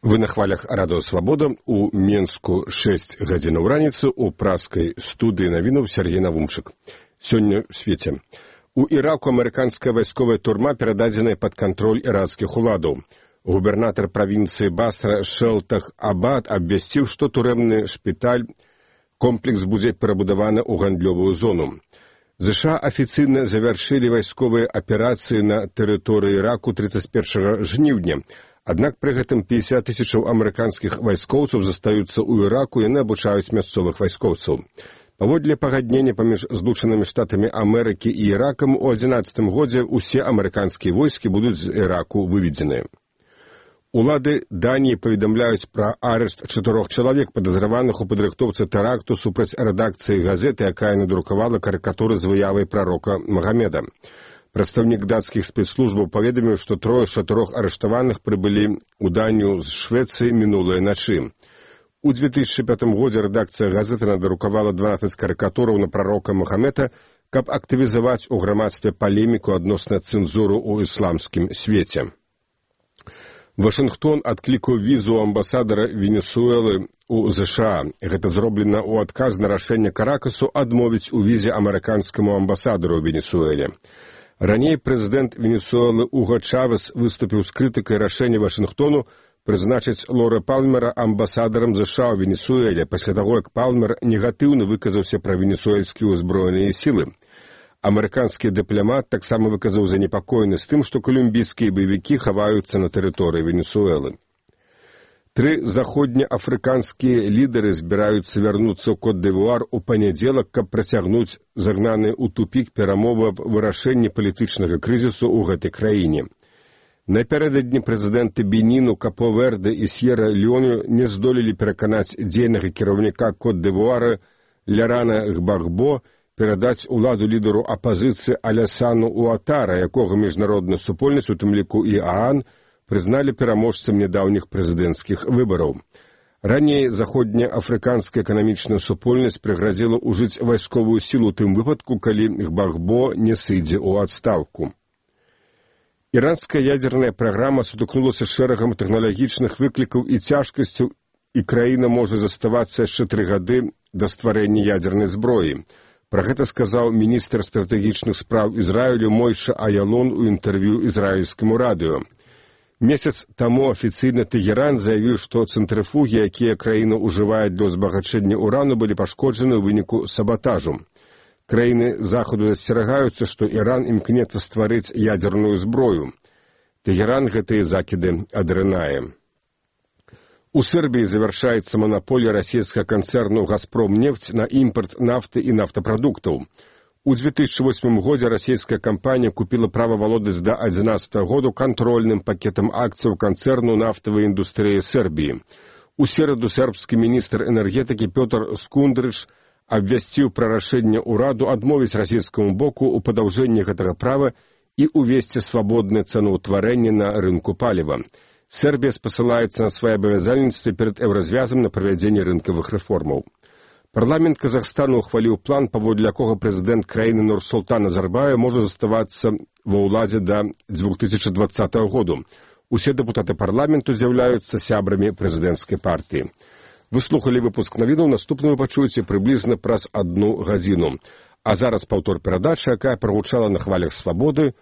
Вы на хвалях Радыё Свабода. У Менску 6 гадзінаў раніцы у праскай студыі навінаў Сергей Навумчык. Сёння ў свеце. У Іраку амерыканская вайсковая турма перададзеная пад кантроль іракскіх уладаў. Губернатар правінцыі Басра Шэлтах Абад абвясціў, што турэмны шпіталь комплекс будзе перабудаваны ў гандлёвую зону. ЗША афіцыйна завяршылі вайсковыя аперацыі на тэрыторыі Іраку 31 жніўня. Аднак пры гэтым 50 тысячаў амерыканскіх вайскоўцаў застаюцца ў Іраку, яны абучаюць мясцовых вайскоўцаў. Паводле пагаднення паміж Злучанымі Штатамі Амерыкі і Іракам у 2011 годзе ўсе амерыканскія войскі будуць з Іраку выведзеныя. Улады Даніі паведамляюць пра арышт 4 чалавек, падазраваных у падрыхтоўцы тэракту супраць рэдакцыі газеты, якая надрукавала карыкатуры з выявай прарока Магамеда. Прадстаўнік дацкіх спецслужбаў паведаміў, што 3 з 4 арыштаваных прыбылі ў Данію з Швецыі мінулай начы. У 2005 годзе рэдакцыя газеты надрукавала 12 карыкатураў на прарока Магамеда, каб актывізаваць у грамадстве палеміку адносна цэнзуру ў ісламскім свеце. Вашынгтон адклікаў візу амбасадара Венесуэлы ў ЗША. Гэта зроблена ў адказ на рашэнне Каракасу адмовіць у візе амерыканскаму амбасадару ў Венесуэле. Раней прэзідэнт Венесуэлы Уго Чавес выступіў з крытыкай рашэння Вашынгтону прызначыць Лора Палмера амбасадарам ЗША ў Венесуэле, пасля таго, як Палмер негатыўна выказаўся пра венесуэльскія ўзброеныя сілы. Амерыканскі дыпламат таксама выказаў занепакоенасць тым, што колумбійскія баевікі хаваюцца на тэрыторыі Венесуэлы. 3 заходнеафрыканскія лідары збіраюцца вярнуцца ў Кот-д'Івуар у панядзелак, каб працягнуць загнаныя ў тупік перамовы аб вырашэнні палітычнага крызісу ў гэтай краіне. Напярэдадні прэзідэнты Беніну, Капо-Верде і Сьерра-Леоне не здолелі пераканаць дзейнага кіраўніка Кот-д'Івуара Лярана Гбагбо перадаць уладу лідару апазіцыі Алясану Уатара, якога міжнародная супольнасць, у тым ліку і ААН, прызналі пераможцам нядаўніх прэзідэнцкіх выбараў. Раней заходнеафрыканская эканамічная супольнасць прыгразіла ўжыць вайсковую сілу ў тым выпадку, калі Гбагбо не сыдзе ў адстаўку. Іранская ядзерная праграма сутыкнулася з шэрагам тэхналагічных выклікаў і цяжкасцяў, і краіна можа заставацца яшчэ 3 гады да стварэння ядзернай зброі. Пра гэта сказаў міністр стратэгічных спраў Ізраілю Мойша Аялон у інтэрв'ю ізраільскаму радыё. Месяц таму афіцыйна Тэгеран заявіў, што цэнтрыфугі, якія краіна ўжывае для ўзбагачэння ўрану, былі пашкоджаны ў выніку сабатажу. Краіны захаду засцерагаюцца, што Іран імкнецца стварыць ядзерную зброю. Тэгеран гэтыя закіды адрынае. У Сербіі завяршаецца манаполія расійскага канцэрну «Газпромнефть» на імпарт нафты і нафтапрадуктаў. У 2008 годзе расійская кампанія купіла права валодаць да 2011 году кантрольным пакетам акцыяў канцэрну нафтавай індустрыі Сербіі. У сераду сербскі міністр энергетыкі Пётр Скундрыч абвясціў пра рашэнне ўраду адмовіць расійскаму боку ў падаўжэнні гэтага права і ўвесці свабоднае цэнаўтварэнне на рынку паліва. Сербія спасылаецца на свае абавязальніцтвы перад еўразвязам на правядзенне рынкавых рэформаў. Парламент Казахстану ухваліў план, паводле якога прэзідэнт краіны Нурсултан Назарбаев можа заставацца ва ўладзе да 2020 году. Усе дэпутаты парламенту з'яўляюцца сябрамі прэзідэнцкай партыі. Вы слухалі выпуск навінаў, наступны вы пачуеце прыблізна праз 1 гадзіну. А зараз паўтор перадачы, якая прагучала на хвалях Свабоды